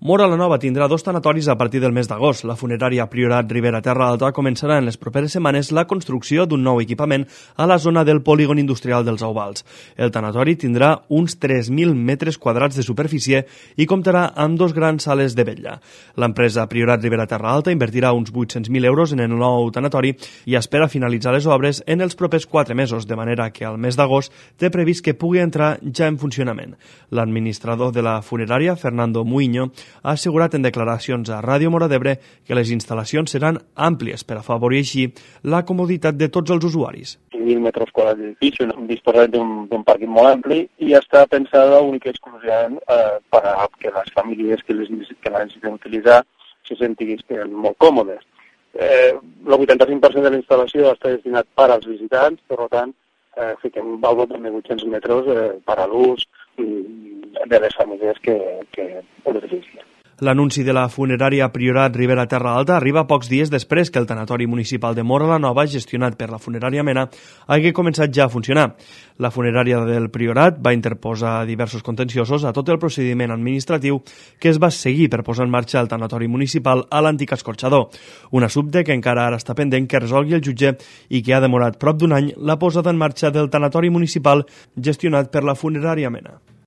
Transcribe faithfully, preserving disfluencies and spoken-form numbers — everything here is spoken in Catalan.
Móra la Nova tindrà dos tanatoris a partir del mes d'agost. La funerària Priorat Ribera Terra Alta començarà en les properes setmanes la construcció d'un nou equipament a la zona del polígon industrial dels Auvals. El tanatori tindrà uns tres mil metres quadrats de superfície i comptarà amb dos grans sales de vetlla. L'empresa Priorat Ribera Terra Alta invertirà uns vuit-cents mil euros en el nou tanatori i espera finalitzar les obres en els propers quatre mesos, de manera que al mes d'agost té previst que pugui entrar ja en funcionament. L'administrador de la funerària, Fernando Muiño, ha assegurat en declaracions a Ràdio Móra d'Ebre que les instal·lacions seran àmplies per afavorir així la comoditat de tots els usuaris. cinc mil metres quadrats d'edifici, disposat d'un pàrquing molt ampli i està pensada única i exclusivament eh, per a que les famílies que, les, que la necessiten utilitzar se sentin molt còmodes. Eh, el vuitanta-cinc per cent de la instal·lació està destinat per als visitants, per tant, eh, fiquem un valor de vuit-cents metres eh, per a l'ús de les famílies que, que ho necessiten. L'anunci de la funerària Priorat Ribera Terra Alta arriba pocs dies després que el tanatori municipal de Móra la Nova, gestionat per la funerària Mena, hagi començat ja a funcionar. La funerària del Priorat va interposar diversos contenciosos a tot el procediment administratiu que es va seguir per posar en marxa el tanatori municipal a l'antic escorxador, un assumpte que encara ara està pendent que resolgui el jutge i que ha demorat prop d'un any la posada en marxa del tanatori municipal gestionat per la funerària Mena.